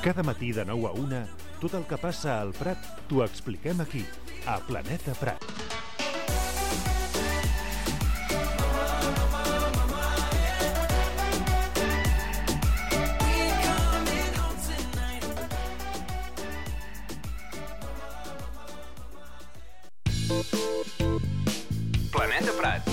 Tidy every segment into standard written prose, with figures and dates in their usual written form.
Cada matí de 9 a 1, tot el que passa al Prat t'ho expliquem aquí, a Planeta Prat. Planeta Prat.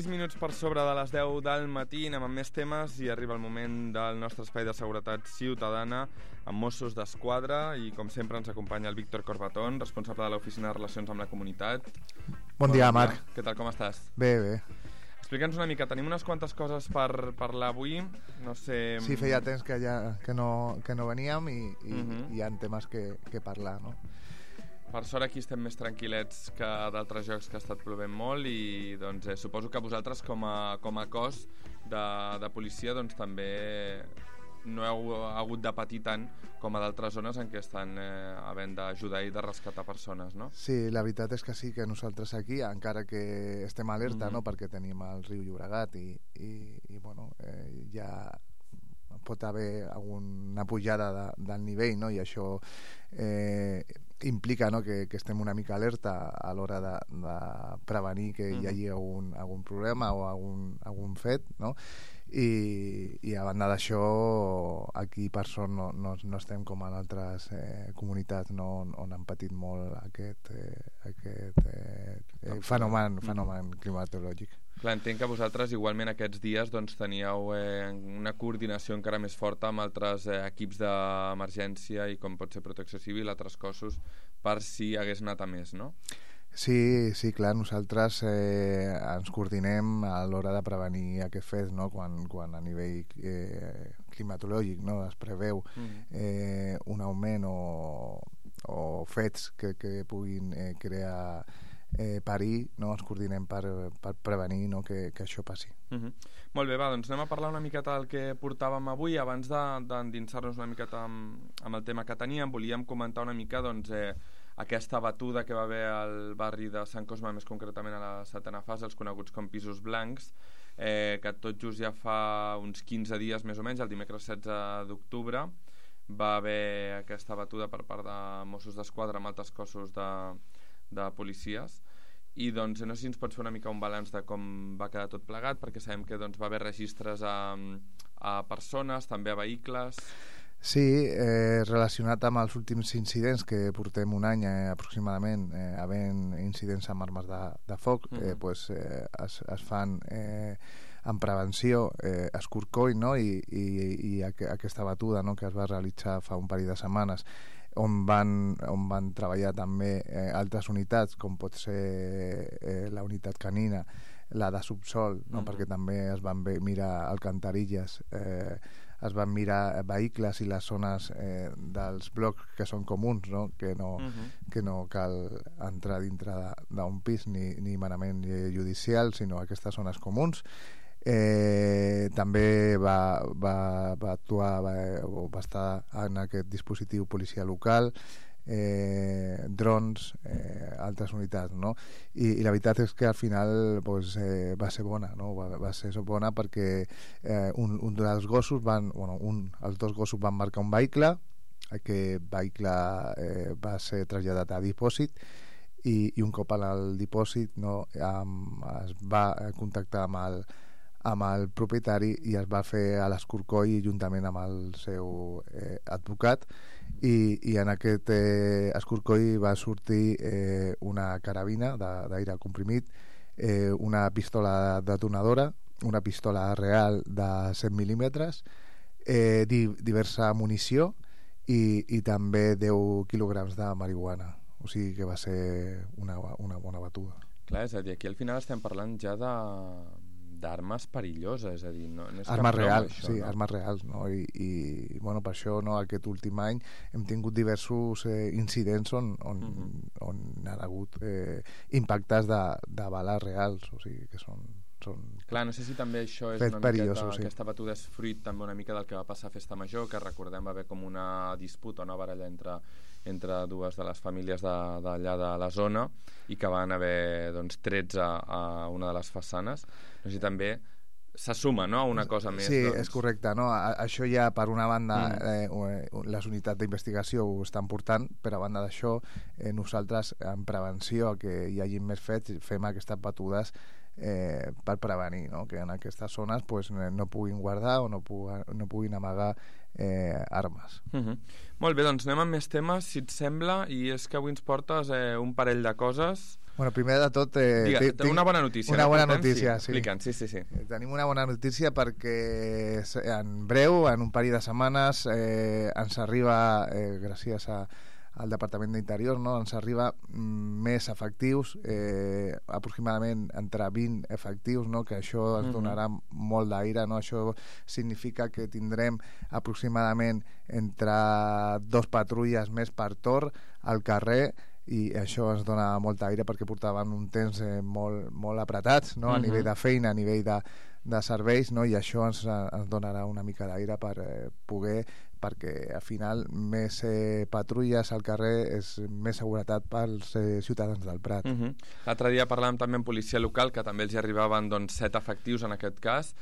Minuts per sobre de les 10 del matí, anem amb més temes i arriba el moment del nostre espai de seguretat ciutadana amb Mossos d'Esquadra i com sempre ens acompanya el Víctor Corbatón, responsable de l'Oficina de Relacions amb la Comunitat. Bon dia, Marc. Què tal, com estàs? Bé, bé. Explica'ns una mica, tenim unes quantes coses per parlar avui, no sé... Sí, feia temps que no veníem i hi ha temes que parlar, no? Per sort aquí estem més tranquil·lets que d'altres jocs que ha estat plovent molt i doncs, suposo que vosaltres com a cos de policia doncs, també no heu hagut de patir tant com a d'altres zones en què estan havent d'ajudar i de rescatar persones, no? Sí, la veritat és que sí, que nosaltres aquí, encara que estem alerta, no? Perquè tenim el riu Llobregat i bueno, ja pot haver alguna pujada del nivell, no? I això implica, no? que estem una mica alerta a l'hora de prevenir que hi hagi algun problema o algun fet, no? I a banda d'això aquí per sort no estem com en altres comunitats, no? On han patit molt aquest fenomen climatològic. Clar, entenc que vosaltres igualment aquests dies doncs, teníeu una coordinació encara més forta amb altres equips d'emergència i com pot ser Protecció Civil, altres cossos, per si hagués anat a més, no? Sí, clar, nosaltres ens coordinem a l'hora de prevenir aquest fet, no? Quan a nivell climatològic, no? Es preveu un augment o fets que puguin crear perill, no? Ens coordinem per prevenir, no? que això passi. Molt bé, va, doncs anem a parlar una miqueta del que portàvem avui. Abans d'endinsar-nos una miqueta amb el tema que teníem, volíem comentar una mica doncs, aquesta batuda que va haver al barri de Sant Cosme, més concretament a la setena fase, els coneguts com pisos blancs, que tot just ja fa uns 15 dies més o menys, el dimecres 16 d'octubre, va haver aquesta batuda per part de Mossos d'Esquadra amb altres cossos de policies. I doncs no sé si ens pots fer una mica un balanç de com va quedar tot plegat, perquè sabem que doncs, va haver registres a persones, també a vehicles. Sí, relacionat amb els últims incidents que portem un any aproximadament havent incidents amb armes de foc, pues, es fan en prevenció escorcoll, no? I aquesta batuda, no? Que es va realitzar fa un parell de setmanes, on van treballar també altres unitats, com pot ser la unitat canina, la de subsol, no? Perquè també es van mirar alcantarilles, es van mirar vehicles i les zones dels blocs que són comuns, no? Que no cal entrar dintre d'un pis ni manament judicial, sinó aquestes zones comuns. També va actuar o va estar en aquest dispositiu policia local, drons, altres unitats, no? I la veritat és que al final pues, va ser bona, no? Va ser bona perquè un dels gossos els dos gossos van marcar un vehicle, aquest vehicle va ser traslladat a dipòsit i un cop al dipòsit, no, es va contactar amb el propietari i es va fer a l'escorcoll juntament amb el seu advocat i en aquest escorcoll va sortir una carabina d'aire comprimit, una pistola detonadora, una pistola real de 100 mil·límetres, diversa munició i també 10 quilograms de marihuana. O sigui que va ser una bona batuda. Clar, és a dir, aquí al final estem parlant ja d'armes perilloses, és a dir, no és armes reals, això, sí, no? Armes reals, no? I bueno, per això, no, aquest últim any hem tingut diversos incidents on han hagut impactes de bales reals, o sigui que són clar, no sé si també això és una miqueta, aquesta batuda és fruit també una mica del que va passar a Festa Major, que recordem va haver com una disputa, una baralla entre dues de les famílies d'allà de la zona i que van haver trets a una de les façanes. No sé si també s'assuma, no?, a una cosa més. Sí, és correcte, no? Això ja, per una banda, les unitats d'investigació ho estan portant, però a banda d'això, nosaltres, en prevenció, que hi hagi més fets, fem aquestes batudes per prevenir, no?, que en aquestes zones pues, no puguin guardar o no puguin amagar armes. Molt bé, doncs anem amb més temes, si et sembla, i és que avui ens portes un parell de coses. Bueno, primer de tot... una bona notícia. Una bona notícia, sí. Explica'ns, sí. Tenim una bona notícia perquè en breu, en un parell de setmanes, ens arriba, gràcies al Departament d'Interior, no?, ens arriba més efectius, aproximadament entre 20 efectius, no?, que això ens donarà molt d'aire, no? Això significa que tindrem aproximadament entre 2 patrulles més per torn al carrer, i això ens dona molt aire perquè portaven un temps molt apretats, no?, a nivell de feina, a nivell de serveis, no?, i això ens donarà una mica d'aire per poder, perquè al final més patrulles al carrer és més seguretat pels ciutadans del Prat. L'altre dia parlàvem també amb policia local, que també els hi arribaven 7 efectius en aquest cas.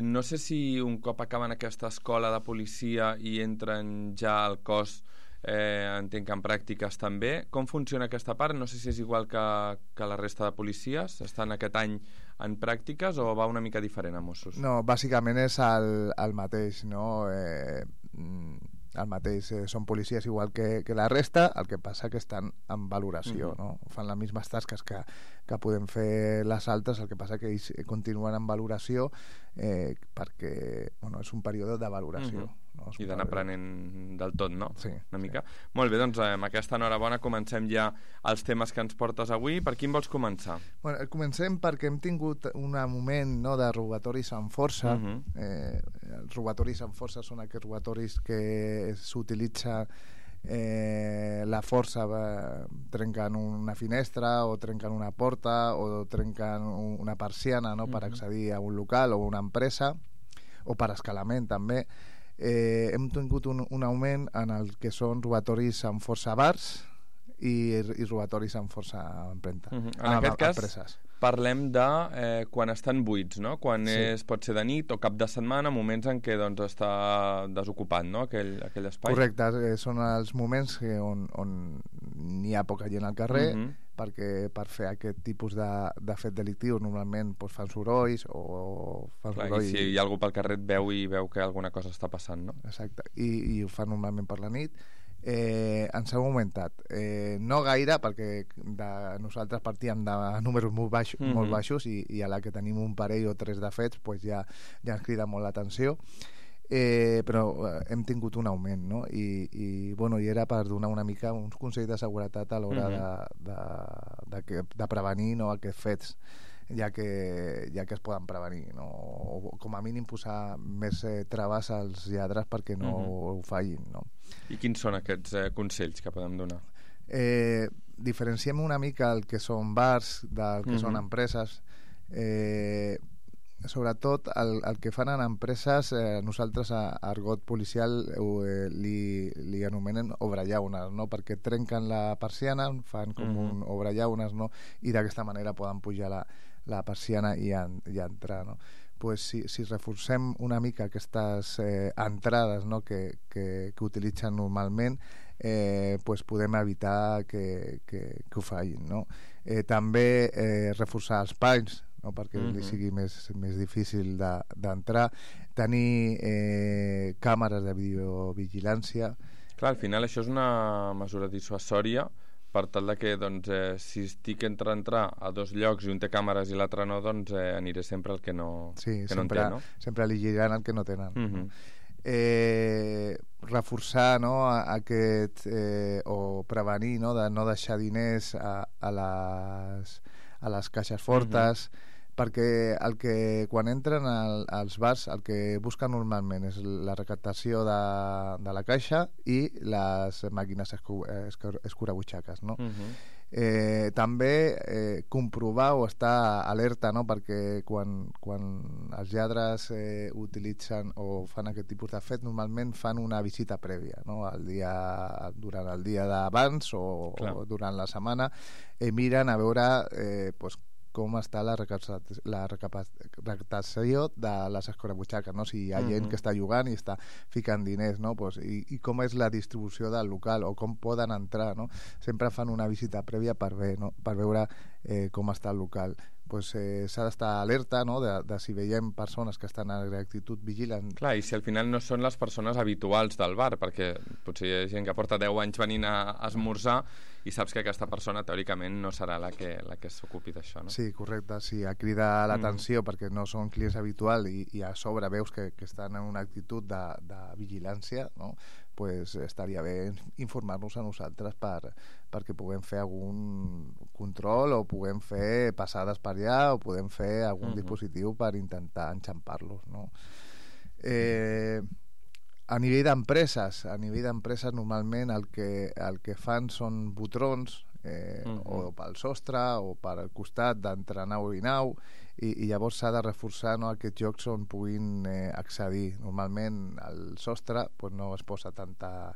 No sé si un cop acaben aquesta escola de policia i entren ja al cos, entenc que en pràctiques també. Com funciona aquesta part? No sé si és igual que la resta de policies. Estan aquest any en pràctiques o va una mica diferent a Mossos? No, bàsicament és el mateix, no? El mateix, són policies igual que la resta, el que passa que estan en valoració, no? Fan les mateixes tasques que podem fer les altres, el que passa que ells continuen en valoració perquè és un període de valoració. No? I d'anar aprenent del tot, no? Sí. Una mica. Molt bé, doncs amb aquesta enhorabona comencem ja els temes que ens portes avui. Per quin vols començar? Bueno, comencem perquè hem tingut un moment, no, de robatoris amb força. Els robatoris amb força són aquests robatoris que s'utilitza la força, trenquen una finestra o trenquen una porta o trenquen una persiana, no, per accedir a un local o una empresa, o per escalament també. Hem tingut un augment en el que són robatoris amb força a bars i robatoris amb força a empremta. En aquest cas parlem de quan estan buits, no? Quan pot ser de nit o cap de setmana, moments en què està desocupat, no? aquell espai. Correcte, són els moments on n'hi ha poca gent al carrer, perquè per fer aquest tipus de fet delictiu normalment fan sorolls o fan soroll. I si hi ha algú pel carrer et veu i veu que alguna cosa està passant, no? Exacte, i ho fan normalment per la nit. Ens ha augmentat, no gaire, perquè nosaltres partíem de números molt baixos i a la que tenim un parell o 3 de fets ja ens crida molt l'atenció. Però hem tingut un augment, no? I era per donar una mica uns consells de seguretat a l'hora de prevenir, no, aquests fets, ja que es poden prevenir, no? O com a mínim posar més traves als lladres perquè no ho fallin, no? I quins són aquests consells que podem donar? Diferenciem una mica el que són bars del que són empreses. sobretot el que fan en empreses, nosaltres a argot policial li anomenen obrellaunes, no? Perquè trenquen la persiana, fan com un obrellaunes, no? I d'aquesta manera poden pujar la persiana i entrar, no? Pues si reforcem una mica aquestes entrades, no? que utilitzen normalment, pues podem evitar que ho fallin, no? També reforçar els panys, no? Perquè li sigui més difícil d'entrar, tenir càmeres de videovigilància. Clar, al final això és una mesura dissuasòria per tal de que si estic entre entrar a dos llocs i un té càmeres i l'altre no, aniré sempre al que no, sí, que no en té, no? Sempre eligiran el que no tenen. Reforçar, no, o prevenir, no, de no deixar diners a les caixes fortes, perquè quan entren als bars el que busquen normalment és la recaptació de la caixa i les màquines escurabutxaques, no? També comprovar o estar alerta, no? Perquè quan els lladres utilitzen o fan aquest tipus de fet, normalment fan una visita prèvia, no? Durant el dia d'abans o durant la setmana, miren a veure com està la recaptació de les escurabutxaques, no? Si hi ha gent que està jugant i està ficant diners, no? I com és la distribució del local o com poden entrar, no? Sempre fan una visita prèvia per veure com està el local. S'ha d'estar alerta, no? de si veiem persones que estan en actitud vigilant. Clar, i si al final no són les persones habituals del bar, perquè potser hi ha gent que porta 10 anys venint a esmorzar i saps que aquesta persona teòricament no serà la que s'ocupi d'això, no? Sí, correcte, sí, crida l'atenció perquè no són clients habituals i a sobre veus que estan en una actitud de vigilància, no? Pues estaria bé informar-nos a nosaltres perquè puguem fer algun control o puguem fer passades per allà o podem fer algun dispositiu per intentar enxampar-los, no? A nivell d'empreses normalment el que fan són botrons o pel sostre o pel costat d'entre nau i nau, i llavors s'ha de reforçar, no, aquests jocs on puguin accedir. Normalment al sostre no es posa tanta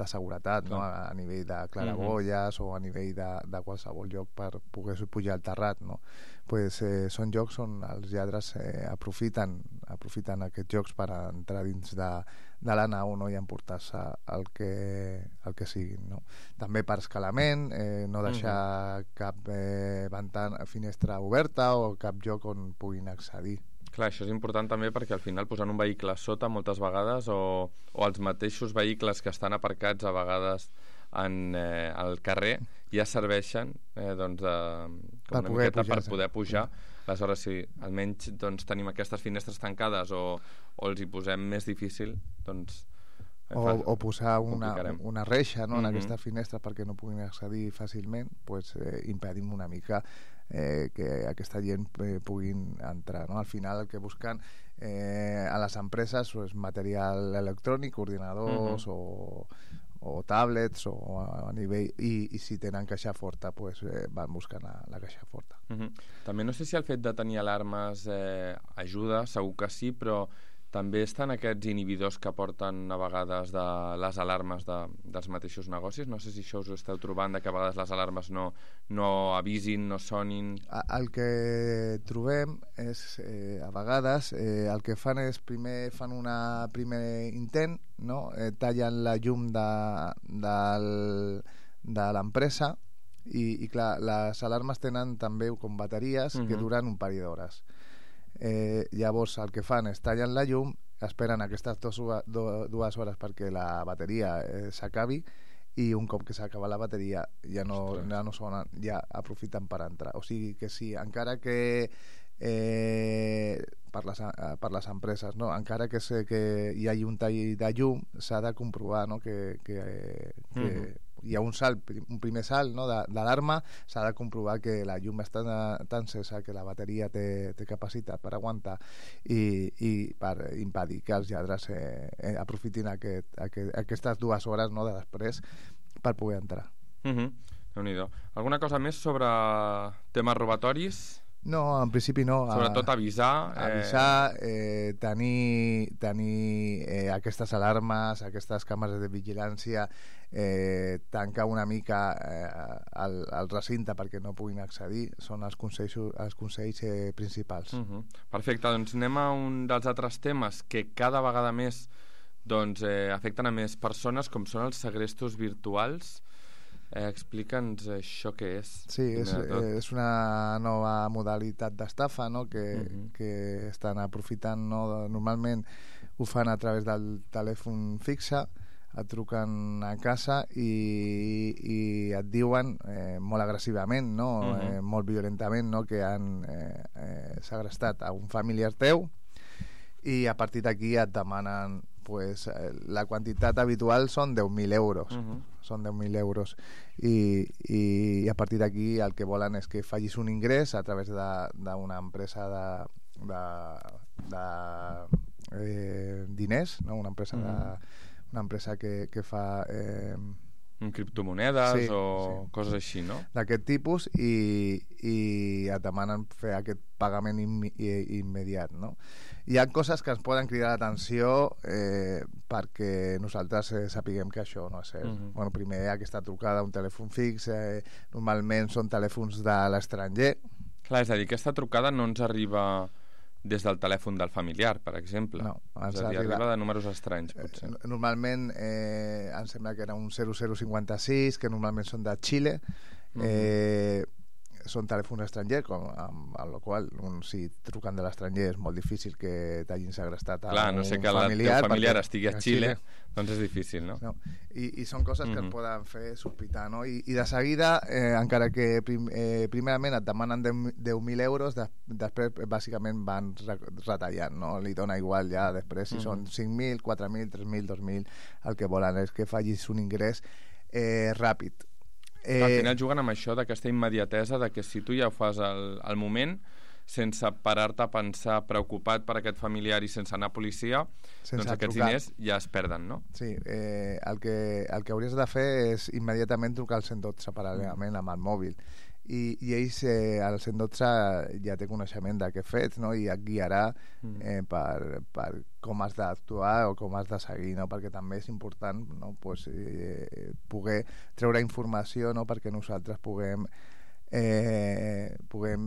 seguretat, no? A nivell de claraboies o a nivell de qualsevol lloc per poder pujar al terrat, no? Són jocs on els lladres aprofiten aquests jocs per entrar dins de la nau, no? I emportar-se el que siguin, no? També per escalament, no deixar cap finestra oberta o cap lloc on puguin accedir. Clar, això és important també perquè al final posant un vehicle sota moltes vegades o els mateixos vehicles que estan aparcats a vegades al carrer ja serveixen per poder pujar. Aleshores, si almenys tenim aquestes finestres tancades o els hi posem més difícil, o posar una reixa, no, en aquesta finestra perquè no puguin accedir fàcilment, impedim una mica que aquesta gent puguin entrar, no? Al final el que busquen a les empreses és material electrònic, ordinadors o tablets o a nivell, i si tenen caixa forta van buscant la caixa forta. També no sé si el fet de tenir alarmes ajuda, segur que sí, però també estan aquests inhibidors que porten a vegades de les alarmes dels mateixos negocis. No sé si això us ho esteu trobant, de que a vegades les alarmes no avisin, no sonin. El que trobem és, a vegades, el que fan és primer fan un primer intent, no? Tallen la llum de l'empresa i clar, les alarmes tenen també com bateries que duren un parell d'hores. Llavors el que fan és tallen la llum, esperen aquestes dues hores perquè la bateria s'acabi, i un cop que s'acaba la bateria ja no sonen, ja aprofiten per entrar. O sigui que sí, encara que per les empreses, no? Encara que hi hagi un tall de llum, s'ha de comprovar, no? que hi ha un primer salt, no? d'alarma, s'ha de comprovar que la llum està tan encesa que la bateria té capacitat per aguantar i per impedir que els lladres aprofitin aquestes 2 hores, no? de després per poder entrar. Déu-n'hi-do. Alguna cosa més sobre temes robatoris? No, en principi no. Sobretot avisar. Tenir aquestes alarmes, aquestes càmeres de vigilància, tancar una mica el recinte perquè no puguin accedir, són els consells principals. Perfecte, doncs anem a un dels altres temes que cada vegada més afecten a més persones, com són els segrestos virtuals. Explica'ns això què és. Sí, és una nova modalitat d'estafa, no? que estan aprofitant, no? Normalment ho fan a través del telèfon fixe, et truquen a casa i et diuen molt agressivament, no? Molt violentament, no? Que han segrestat a un familiar teu, i a partir d'aquí et demanen la quantitat habitual són 10.000 euros. Són 10.000 euros. I a partir d'aquí el que volen és que facis un ingrés a través d'una empresa de diners, no? Una empresa que fa... criptomonedes coses així, no? D'aquest tipus, i et demanen fer aquest pagament immediat, no? Hi ha coses que ens poden cridar l'atenció perquè nosaltres sapiguem que això no és cert. Bueno, primer, aquesta trucada a un telèfon fix, normalment són telèfons de l'estranger. Clar, és a dir, aquesta trucada no ens arriba des del telèfon del familiar, per exemple. No, és a dir, arriba de números estranys, potser. Normalment em sembla que era un 0056, que normalment són de Xile. Són telèfons estrangers, amb la qual si truquen de l'estranger és molt difícil que t'hagin segrestat a un familiar. No sé que el teu familiar estigui a Xile, doncs és difícil, no? I són coses que et poden fer sospitar, no? I de seguida, encara que primerament et demanen 10.000 euros, després bàsicament van retallant, no? Li dona igual ja després si són 5.000, 4.000, 3.000, 2.000, el que volen és que facis un ingrés ràpid. Al final juguen amb això d'aquesta immediatesa de que si tu ja ho fas al moment, sense parar-te a pensar, preocupat per aquest familiar i sense anar a policia, doncs aquests diners ja es perden, no? Sí, el que hauries de fer és immediatament trucar al 112 paral·lelament amb el mòbil, i ells al 112 ja té coneixement de què fets, no? I et guiarà per com has d'actuar o com has de seguir, no? Perquè també és important, no? Poder treure informació, no? Perquè nosaltres puguem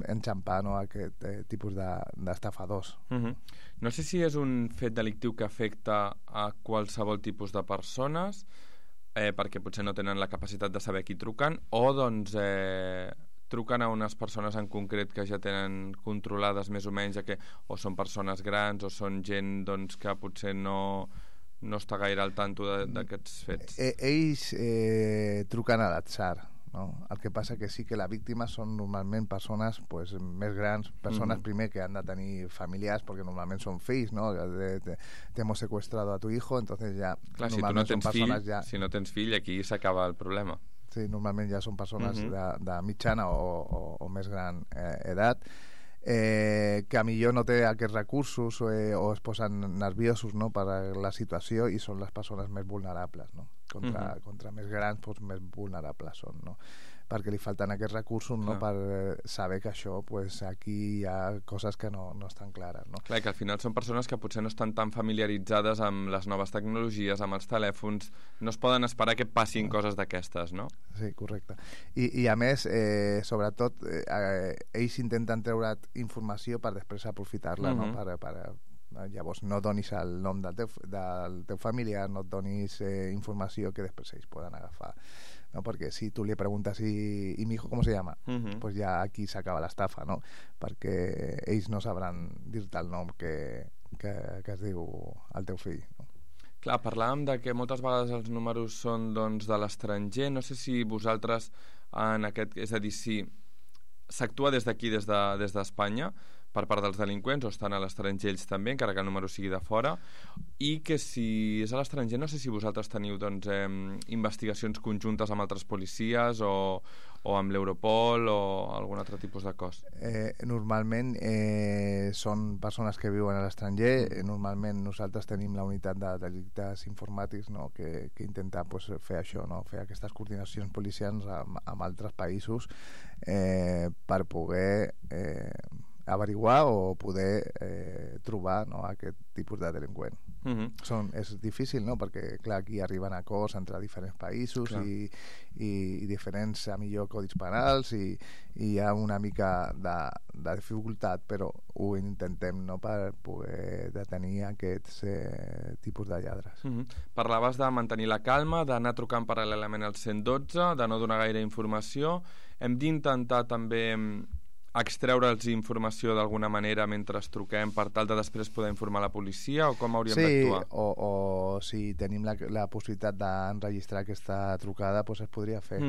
enxampar, no? Aquest tipus d'estafadors. No sé si és un fet delictiu que afecta a qualsevol tipus de persones, perquè potser no tenen la capacitat de saber qui truquen, o doncs truquen a unes persones en concret que ja tenen controlades més o menys, que o són persones grans o són gent doncs, que potser no està gaire al tanto d'aquests fets. Ells truquen a l'atzar, no? El que passa que sí que la víctima són normalment persones més grans, persones primer que han de tenir familiars, perquè normalment són fills, no? Te hemos secuestrado a tu hijo, entonces ja... Clar, si tu no tens fill, si no tens fill, aquí s'acaba el problema. Sí, normalment ja són persones de mitjana o més gran edat, que millor no té aquests recursos o es posen nerviosos, no? Per la situació, i són les persones més vulnerables, no? Contra més grans, més vulnerables són, no? Perquè li falten aquests recursos, no? Per saber que això, aquí hi ha coses que no estan clares, no? Clar, que al final són persones que potser no estan tan familiaritzades amb les noves tecnologies, amb els telèfons, no es poden esperar que passin coses d'aquestes, no? Sí, correcte. I a més, sobretot, ells intenten treure informació per després aprofitar-la, no? Llavors no donis el nom del teu familiar, no et donis informació que després ells poden agafar, no? Perquè si tu li preguntes ¿y mi hijo cómo se llama? Pues ja aquí s'acaba l'estafa, no? Perquè ells no sabran dir-te el nom que es diu el teu fill, no? Clar, parlàvem de que moltes vegades els números són doncs, de l'estranger. No sé si vosaltres en aquest... És a dir, si s'actua des d'aquí, des d'Espanya, per part dels delinqüents, o estan a l'estranger ells també, encara que el número sigui de fora, i que si és a l'estranger, no sé si vosaltres teniu doncs, investigacions conjuntes amb altres policies o amb l'Europol o algun altre tipus de cos. Normalment són persones que viuen a l'estranger. Normalment nosaltres tenim la unitat de delictes informàtics, no? que intenta pues, fer això, no? Fer aquestes coordinacions policials amb altres països per poder averiguar o poder trobar, no, aquest tipus de delinqüent. És difícil, no? Perquè clar, aquí arriben acords entre diferents països i diferents a millor codis penals i hi ha una mica de dificultat, però ho intentem, no, per poder detenir aquests tipus de lladres. Parlaves de mantenir la calma, d'anar trucant paral·lelament al 112, de no donar gaire informació. Hem d'intentar també extreure'ls informació d'alguna manera mentre truquem per tal de després poder informar la policia, o com hauríem d'actuar? Sí, o si tenim la possibilitat d'enregistrar aquesta trucada, doncs es podria fer,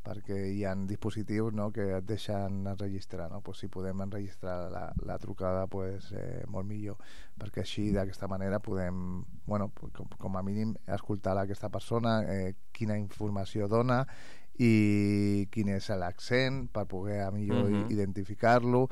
perquè hi ha dispositius, no, que et deixen enregistrar, no? Pues si podem enregistrar la trucada, pues, molt millor, perquè així d'aquesta manera podem, bueno, com a mínim escoltar aquesta persona, quina informació dona i quin és l'accent per poder a millor identificar-lo.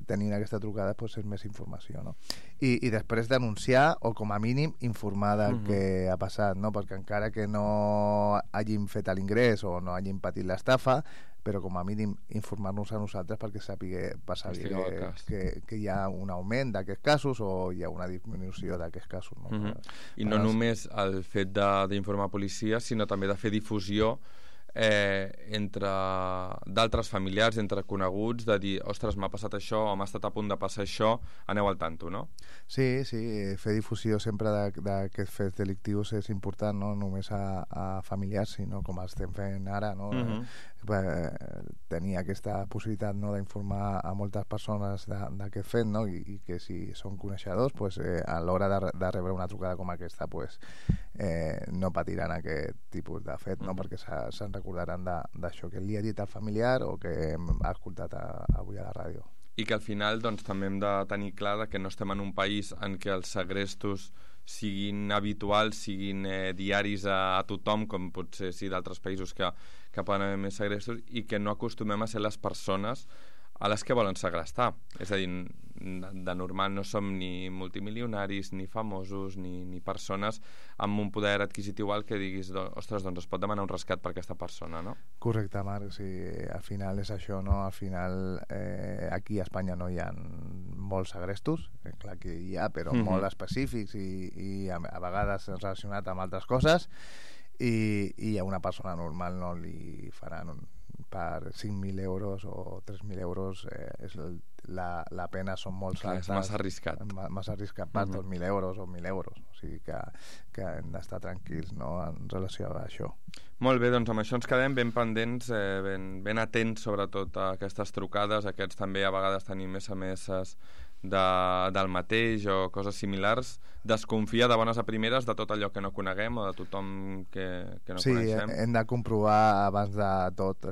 Tenint aquesta trucada pues, és més informació, no? I després denunciar o com a mínim informar del que ha passat, no? Perquè encara que no hagin fet l'ingrés o no hagin patit l'estafa, però com a mínim informar-nos a nosaltres perquè sàpiga que hi ha un augment d'aquests casos o hi ha una disminució d'aquests casos, no? I no només el fet d'informar policia, sinó també de fer difusió entre d'altres familiars, entre coneguts, de dir, ostres, m'ha passat això o m'ha estat a punt de passar això, aneu al tanto, no? Sí, fer difusió sempre d'aquests fets delictius és important, no només a familiars, sinó com estem fent ara, no? Tenir aquesta possibilitat, no, d'informar a moltes persones d'aquest fet, no? I que si són coneixedors, pues, a l'hora de rebre una trucada com aquesta, pues, no patiran aquest tipus de fet, no? Perquè se'n recordaran d'això que li ha dit al familiar o que hem escoltat avui a la ràdio. I que al final doncs, també hem de tenir clar que no estem en un país en què els segrestos siguin habituals, siguin diaris a tothom, com potser sí d'altres països que poden haver més segrestos, i que no acostumem a ser les persones a les que volen segrestar. És a dir, de normal no som ni multimilionaris, ni famosos, ni persones amb un poder adquisitiu alt que diguis, ostres, doncs es pot demanar un rescat per aquesta persona, no? Correcte, Marc, sí, al final és això, no? Al final aquí a Espanya no hi ha molts segrestos, clar que hi ha, però molt específics i a vegades relacionat amb altres coses, i a una persona normal no li faran per 5.000 euros o 3.000 euros, la pena són molt altes. És massa arriscat. Massa arriscat per 2.000 euros o 1.000 euros. O sigui que hem d'estar tranquils, no, en relació a això. Molt bé, doncs amb això ens quedem ben pendents, ben atents sobretot a aquestes trucades. Aquests també a vegades tenim SMS del mateix o coses similars. Desconfia de bones a primeres de tot allò que no coneguem o de tothom que no coneixem. Sí, hem de comprovar abans de tot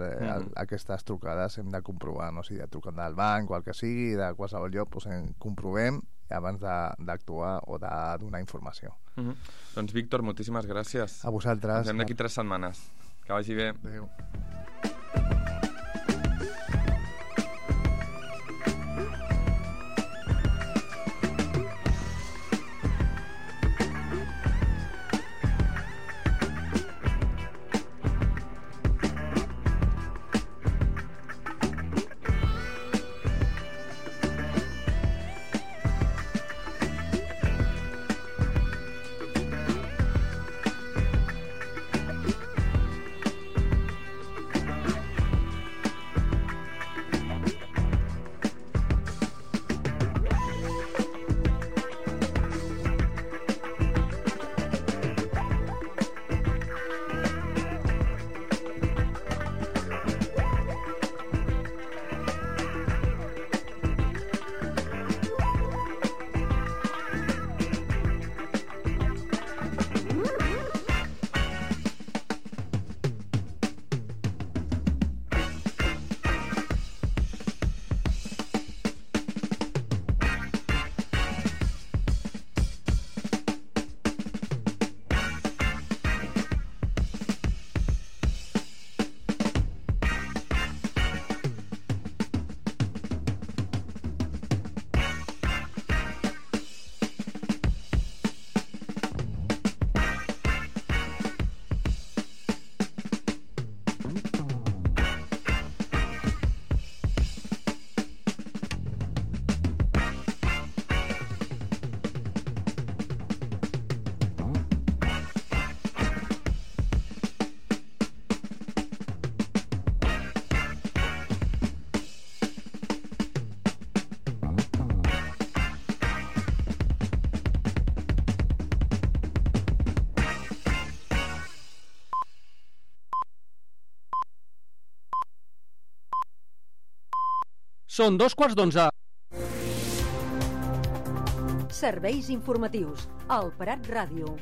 aquestes trucades, hem de comprovar, no? Si truquen del banc o el que sigui, de qualsevol lloc, doncs comprovem abans d'actuar o de donar informació. Doncs Víctor, moltíssimes gràcies. A vosaltres. Ens veiem d'aquí 3 setmanes. Que vagi bé. Adéu. Són 11:15. Serveis informatius. Al Prat Ràdio.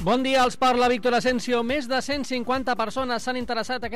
Bon dia, els parla Víctor Asensio. Més de 150 persones s'han interessat aquest